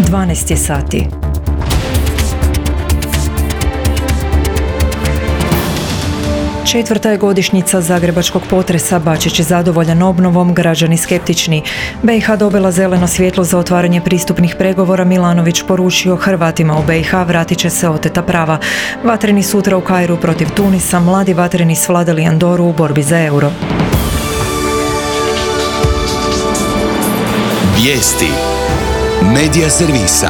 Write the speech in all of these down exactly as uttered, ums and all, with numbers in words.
dvanaest je sati. Četvrta je godišnjica zagrebačkog potresa, Bačić je zadovoljan obnovom, građani skeptični. B i H dobila zeleno svjetlo za otvaranje pristupnih pregovora, Milanović poručio Hrvatima u B i H vratit će se oteta prava. Vatreni sutra u Kairu protiv Tunisa, mladi vatreni svladali Andoru u borbi za euro. Vijesti Medija servisa.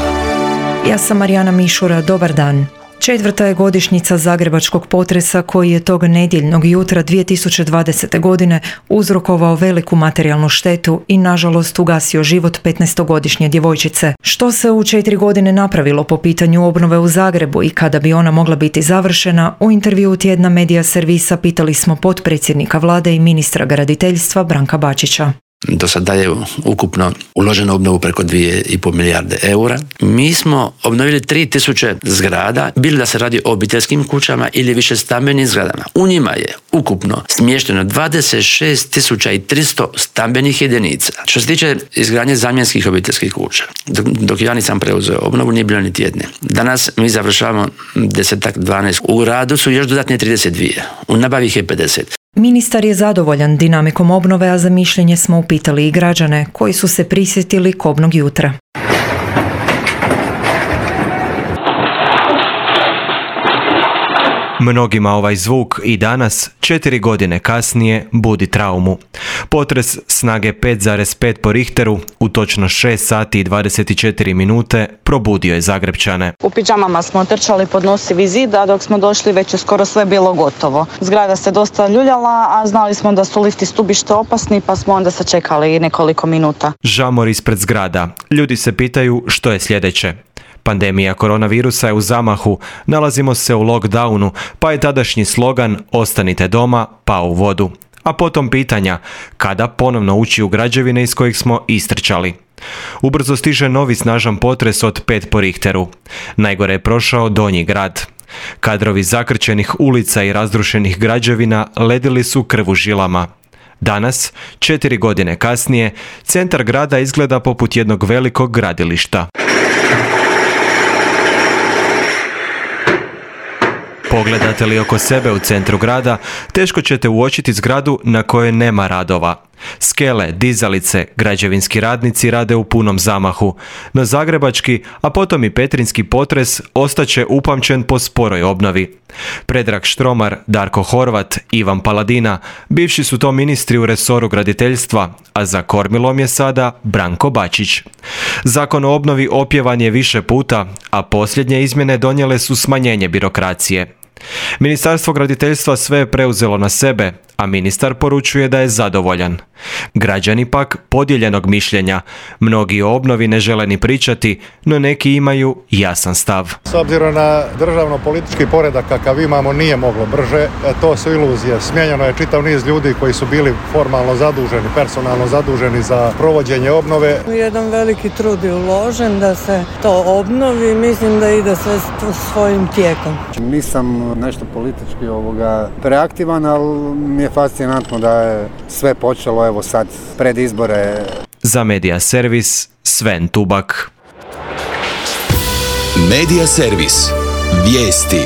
Ja sam Marijana Mišura, dobar dan. Četvrta je godišnjica zagrebačkog potresa koji je tog nedjeljnog jutra dvije tisuće dvadesete. godine uzrokovao veliku materijalnu štetu i nažalost ugasio život petnaestogodišnje djevojčice. Što se u četiri godine napravilo po pitanju obnove u Zagrebu i kada bi ona mogla biti završena, u intervjuu tjedna Medija servisa pitali smo potpredsjednika vlade i ministra graditeljstva Branka Bačića. Do sada je ukupno uloženo u obnovu preko dvije i pol milijarde eura. Mi smo obnovili tri tisuće zgrada, bilo da se radi o obiteljskim kućama ili više stambenim zgradama. U njima je ukupno smješteno dvadeset šest tisuća tristo stambenih jedinica. Što se tiče izgradnje zamjenskih obiteljskih kuća, dok, dok ja nisam preuzeo obnovu, nije bilo niti jedne. Danas mi završavamo desetak, dvanaest. U radu su još dodatne trideset dvije. U nabavi ih je pedeset. Ministar je zadovoljan dinamikom obnove, a za mišljenje smo upitali i građane koji su se prisjetili kobnog jutra. Mnogima ovaj zvuk i danas, četiri godine kasnije, budi traumu. Potres snage pet zarez pet po Richteru u točno šest sati i dvadeset četiri minute probudio je Zagrepčane. U pidžamama smo trčali pod nosivi zid, a dok smo došli već je skoro sve bilo gotovo. Zgrada se dosta ljuljala, a znali smo da su lifti stubište opasni, pa smo onda sačekali nekoliko minuta. Žamor ispred zgrada. Ljudi se pitaju što je sljedeće. Pandemija koronavirusa je u zamahu, nalazimo se u lockdownu, pa je tadašnji slogan "Ostanite doma" pao u vodu. A potom pitanja kada ponovno ući u građevine iz kojih smo istrčali. Ubrzo stiže novi snažan potres od pet po Richteru. Najgore je prošao Donji grad. Kadrovi zakrčenih ulica i razrušenih građevina ledili su krv u žilama. Danas, četiri godine kasnije, centar grada izgleda poput jednog velikog gradilišta. Pogledate li oko sebe u centru grada, teško ćete uočiti zgradu na kojoj nema radova. Skele, dizalice, građevinski radnici rade u punom zamahu, no zagrebački, a potom i petrinjski potres ostaće upamćen po sporoj obnovi. Predrag Štromar, Darko Horvat, Ivan Paladina, bivši su to ministri u resoru graditeljstva, a za kormilom je sada Branko Bačić. Zakon o obnovi opjevan je više puta, a posljednje izmjene donijele su smanjenje birokracije. Ministarstvo graditeljstva sve je preuzelo na sebe, a ministar poručuje da je zadovoljan. Građani pak podijeljenog mišljenja. Mnogi o obnovi ne žele ni pričati, no neki imaju jasan stav. S obzirom na državno-politički poredak kakav imamo, nije moglo brže. To su iluzije. Smijenjeno je čitav niz ljudi koji su bili formalno zaduženi, personalno zaduženi za provođenje obnove. Jedan veliki trud je uložen da se to obnovi. Mislim da ide sve svojim tijekom. Nisam nešto politički ovoga preaktivan, ali mi je fascinantno da je sve počelo evo sad pred izbore. Za Medija servis, Sven Tubak. Medija servis. Vijesti.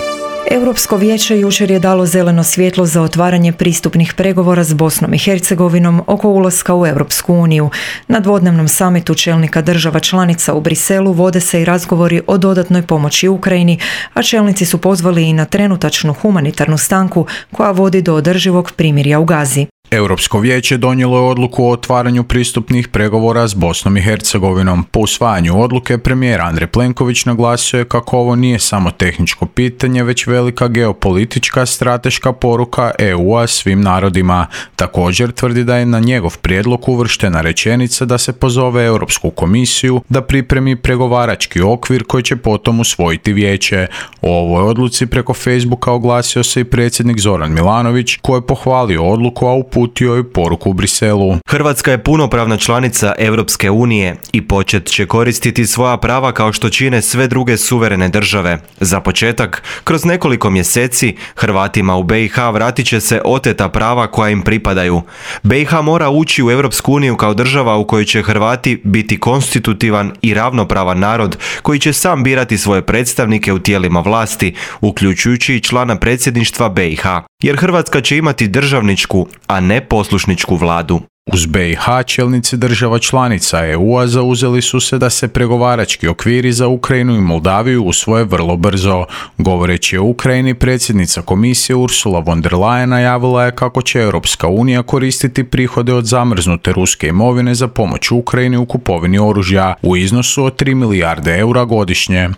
Europsko vijeće jučer je dalo zeleno svjetlo za otvaranje pristupnih pregovora s Bosnom i Hercegovinom oko ulaska u Europsku uniju. Na dvodnevnom samitu čelnika država članica u Briselu vode se i razgovori o dodatnoj pomoći Ukrajini, a čelnici su pozvali i na trenutačnu humanitarnu stanku koja vodi do održivog primirja u Gazi. Europsko vijeće donijelo je odluku o otvaranju pristupnih pregovora s Bosnom i Hercegovinom. Po usvajanju odluke premijer Andrej Plenković naglasio je kako ovo nije samo tehničko pitanje, već velika geopolitička strateška poruka E U-a svim narodima. Također tvrdi da je na njegov prijedlog uvrštena rečenica da se pozove Europsku komisiju da pripremi pregovarački okvir koji će potom usvojiti vijeće. O ovoj odluci preko Facebooka oglasio se i predsjednik Zoran Milanović koji je pohvalio odluku, a u uputio je poruku u Briselu. Hrvatska je punopravna članica Europske unije i počet će koristiti svoja prava kao što čine sve druge suverene države. Za početak, kroz nekoliko mjeseci Hrvatima u B i H vratit će se oteta prava koja im pripadaju. B i H mora ući u Europsku uniju kao država u kojoj će Hrvati biti konstitutivan i ravnopravan narod koji će sam birati svoje predstavnike u tijelima vlasti, uključujući i člana predsjedništva B i H. Jer Hrvatska će imati državničku, a ne poslušničku vladu. Uz B i H čelnici država članica E U-a zauzeli su se da se pregovarački okviri za Ukrajinu i Moldaviju usvoje vrlo brzo. Govoreći o Ukrajini, predsjednica komisije Ursula von der Leyen najavila je kako će Europska unija koristiti prihode od zamrznute ruske imovine za pomoć Ukrajini u kupovini oružja u iznosu od tri milijarde eura godišnje.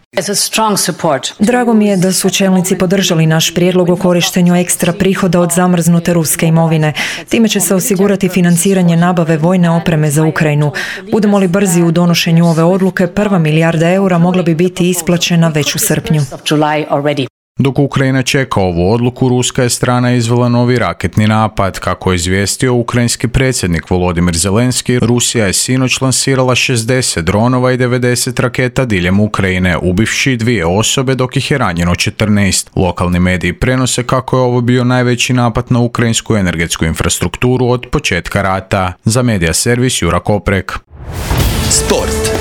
Drago mi je da su čelnici podržali naš prijedlog o korištenju ekstra prihoda od zamrznute ruske imovine. Time će se osigurati financiranje nabave vojne opreme za Ukrajinu. Budemo li brzi u donošenju ove odluke, prva milijarda eura mogla bi biti isplaćena već u srpnju. Dok Ukrajina čeka ovu odluku, ruska je strana izvela novi raketni napad. Kako je izvijestio ukrajinski predsjednik Volodimir Zelenski, Rusija je sinoć lansirala šezdeset dronova i devedeset raketa diljem Ukrajine, ubivši dvije osobe dok ih je ranjeno četrnaest. Lokalni mediji prenose kako je ovo bio najveći napad na ukrajinsku energetsku infrastrukturu od početka rata. Za medija servis Jura Koprek. Sport.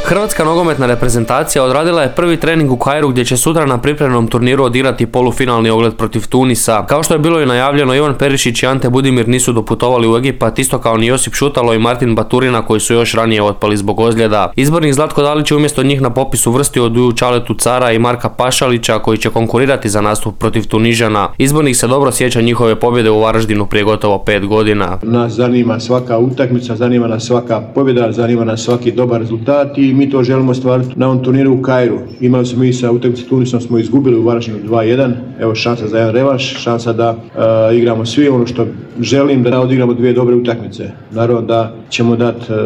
Hrvatska nogometna reprezentacija odradila je prvi trening u Kairu gdje će sutra na pripremnom turniru odigrati polufinalni ogled protiv Tunisa. Kao što je bilo i najavljeno, Ivan Perišić i Ante Budimir nisu doputovali u Egipat, isto kao ni Josip Šutalo i Martin Baturina koji su još ranije otpali zbog ozljeda. Izbornik Zlatko Dalić je umjesto njih na popisu uvrstio Duju Čaletu Cara i Marka Pašalića koji će konkurirati za nastup protiv Tunižana. Izbornik se dobro sjeća njihove pobjede u Varaždinu prije gotovo pet godina. Nas zanima svaka utakmica, zanima nas svaka pobjeda, zanima nas svaki dobar rezultat i mi to želimo stvariti na ovom turniru u Kairu. Imali smo mi sa utakmice Tunisom, smo izgubili u Varaždinu dva jedan. Evo šansa za jedan revanš, šansa da uh, igramo svi ono što želim, da odigramo dvije dobre utakmice. Naravno da ćemo dati uh,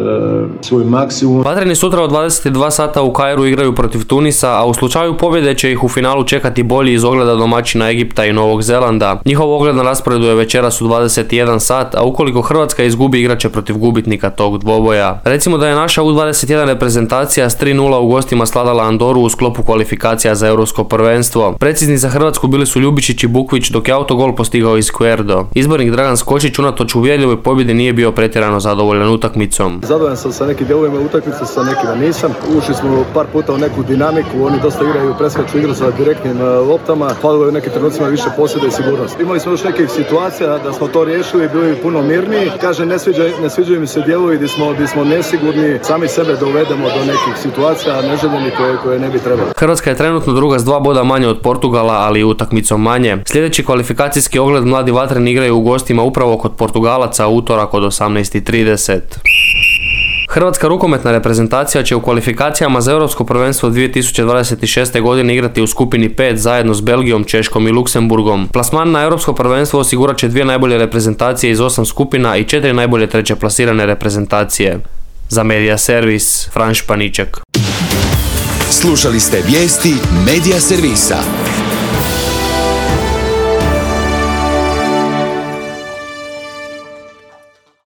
svoj maksimum. Vatreni sutra od dvadeset dva sata u Kairu igraju protiv Tunisa, a u slučaju pobjede će ih u finalu čekati bolji iz ogleda domaćina Egipta i Novog Zelanda. Njihov ogled na rasporedu je večeras u dvadeset jedan sat, a ukoliko Hrvatska izgubi, igraće protiv gubitnika tog dvoboja. Recimo da je naša U dvadeset jedan reprezentacija s tri nula u gostima sladala Andoru u sklopu kvalifikacija za europsko prvenstvo. Precizni za Hrvatsku bili su Ljubičić i Bukvić, dok je autogol postigao iz Querdo. Izbornik Dragan Skočić unatoč uvjerljivoj pobjedi nije bio pretjerano zadovoljan utakmicom. Zadovoljan sam sa nekim dijelovima utakmice, sa nekima nisam. Ušli smo par puta u neku dinamiku, oni dosta igraju preskaču igru sa direktnim loptama, falilo je u nekim trenucima više posjeda i sigurnost. Imali smo još nekih situacija da smo to riješili, bili puno mirniji. Kaže, ne sviđaju, ne sviđaju mi se dijelovi gdje smo, gdje smo nesigurni, sami sebe dovedemo do nekih situacija neželjenih koje, koje ne bi trebalo. Hrvatska je trenutno druga s dva boda manje od Portugala, ali i utakmicom manje. Sljedeći kvalifikacijski ogled mladi vatreni igraju u gostima upravo kod Portugalaca u utorak od osamnaest i trideset. Hrvatska rukometna reprezentacija će u kvalifikacijama za Europsko prvenstvo dvije tisuće dvadeset šeste. godine igrati u skupini pet zajedno s Belgijom, Češkom i Luksemburgom. Plasman na Europsko prvenstvo osigurat će dvije najbolje reprezentacije iz osam skupina i četiri najbolje treće plasirane reprezentacije. Za Medija servis, Fran Španiček. Slušali ste vijesti Medija servisa.